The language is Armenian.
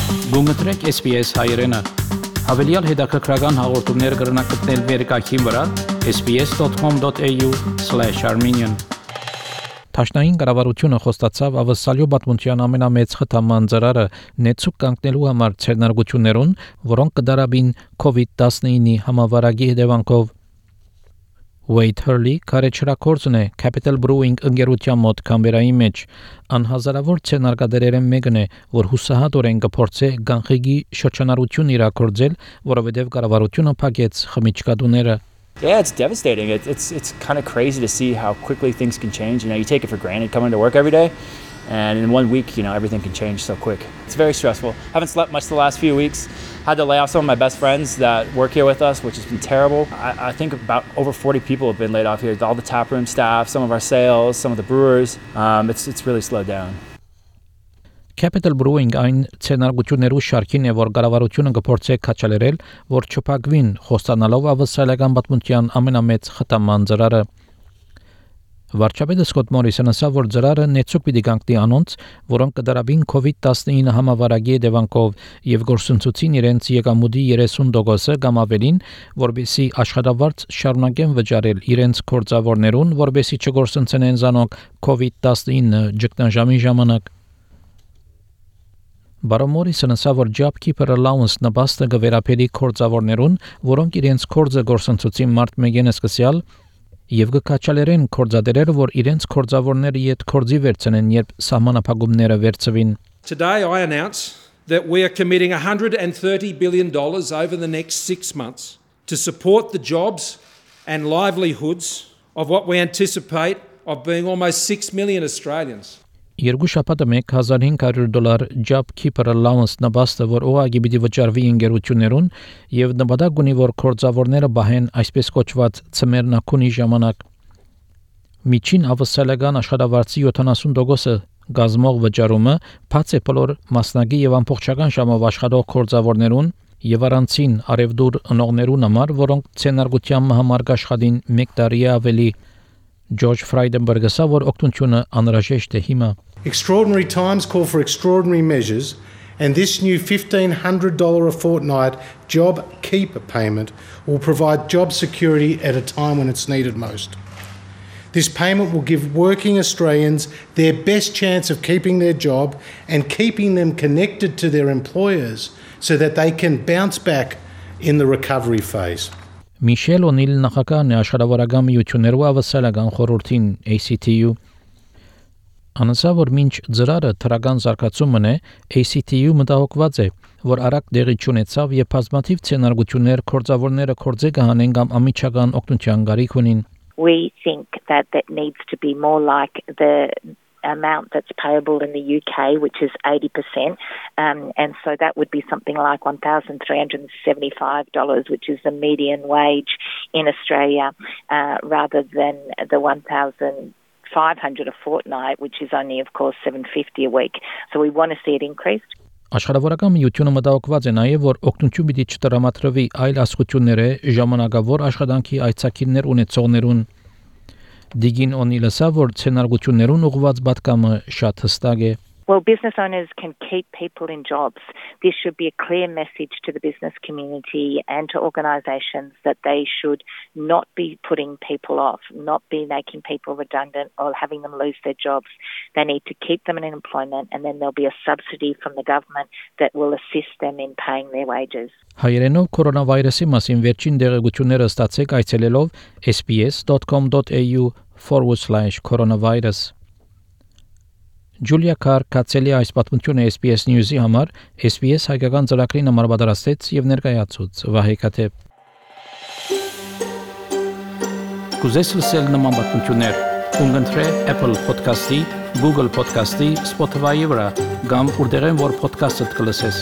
Գումտրեք SPS հայերեն։ Հավելյալ հետաքրքրական հաղորդումներ կգրնակցնել վերկայքին վրա sbs.com.au/armenian Տաշնային կառավարությունը խոստացավ ավսալյո պատմության ամենամեծ խթանման ծրարը նեցուկ կանգնելու համար ցերնարգություններուն, որոնք կդարաբին COVID-19-ի համավարակի հետևանքով Wade Hurley կարեչրակորձն է Capital Brewing ընկերության մոտ Կամբերայի մեջ անհազարավոր ցերնարգադերերեն մեկն է, որ հուսահատորեն կփորձե գանխիկի շրջանառություն իրակորձել, որովհետև կառավարությունը փակեց խմիչքադուները Yeah, it's devastating. It's kind of crazy to see how quickly things can change. You take it for granted coming to work every day, and in 1 week, everything can change so quick. It's very stressful. Haven't slept much the last few weeks. Had to lay off some of my best friends that work here with us, which has been terrible. I think about over 40 people have been laid off here. All the taproom staff, some of our sales, some of the brewers. It's really slowed down. Capital Brewing այն ցերնարգություններու շարքին է, որ կառավարությունը կփորձի քաչալերել, որ չփակվին խոստանալով ավսալական պատմության ամենամեծ խթանման ծրարը։ Վարչապետը Սկոտ Մորիսոնը ասավ, որ ծրարը նեցուկ պիտի կանգնի անոնց, որոնք կդարաբին COVID-19 համավարակի հետևանքով եւ գործընծուցին իրենց եկամուտի 30% կամ ավելին, որբեսի աշխատավարձ շարունակեն վճարել իրենց գործավորներուն, որբեսի չգործընծեն զանոք COVID-19 ճգնաժամի ժամանակ։ Բարոն Մորիսոնը ասավ, որ JobKeeper Allowance նպաստը կվերապերի գործավորներուն, որոնք իրենց գործը գործընծուցին մարտ 1-ին սկսյալ եւ կքաչալերեն գործադերերը, որ իրենց գործավորները իդ գործի վերցնեն, երբ սահմանափակումները վերցվին։ Today I announce that we are committing $130 billion over the next 6 months to support the jobs and livelihoods of what we anticipate of being almost 6 million Australians. Երկու շաբաթը $1,500 JobKeeper Allowance նպաստը, որ ուղղակի պիտի վճարվի ընկերություններուն եւ նպատակ ունի, որ գործավորները բահեն այսպես կոչված ծմերնակունի ժամանակ։ Միջին ավսալական աշխատավարձի 70% գազմող վճարումը բաց է բոլոր մասնակի եւ ամբողջական ժամով աշխատող գործավորներուն եւ առանցին արևդուր ընողներուն համար, որոնք ցերնարգության համար աշխատին 1 տարի ավելի George Frydenberg ասավ, որ օգնությունը անհրաժեշտ է հիմա։ Extraordinary times call for extraordinary measures, and this new $1,500 a fortnight job keeper payment will provide job security at a time when it's needed most. This payment will give working Australians their best chance of keeping their job and keeping them connected to their employers so that they can bounce back in the recovery phase. Michelle O'Neill նախագահն է աշխատավորական միություններու ավսալական խորհրդին ACTU Անասա որ մինչ ծրարը թրական զարգացումն է ACTU մտահոգված է որ արագ դեղի չունեցավ եւ բազմաթիվ ցենարգություններ կորձավորները կորձե կհանեն կամ ամիջական օգնության գարիք ունին We think that needs to be more like the amount that's payable in the UK, which is 80%, and so that would be something like $1,375, which is the median wage in Australia, rather than the $1,500 a fortnight, which is only, of course, $750 a week. So we want to see it increased. Աշխատավորական միությունը մտահոգված է նաև, որ օգնություն պիտի չտրամադրվի այլ ասկությունները ժամանակավոր աշխատանքի այցակիրներ ունեցողներուն։ Դիգին Օնիլը ասա, որ ցենարգություններուն ուղղված պատկամը շատ հստակ է։ Well, business owners can keep people in jobs. This should be a clear message to the business community and to organisations that they should not be putting people off, not be making people redundant or having them lose their jobs. They need to keep them in employment, and then there'll be a subsidy from the government that will assist them in paying their wages. Հայերենով կորոնավիրուսի մասին վերջին դեղեցությունները ստացեք այցելելով sbs.com.au/coronavirus Julia Carr կացելի այս պատմությունը SBS News-ի համար SBS հայկական ծրագրին համար պատրաստեց եւ ներկայացուց Վահե Քաթեփ Կուզես լսել նման պատմություններ կընտրե Apple Podcast-ի, Google Podcast-ի, Spotify-ի վրա կամ որտեղեն որ podcast-ը կլսես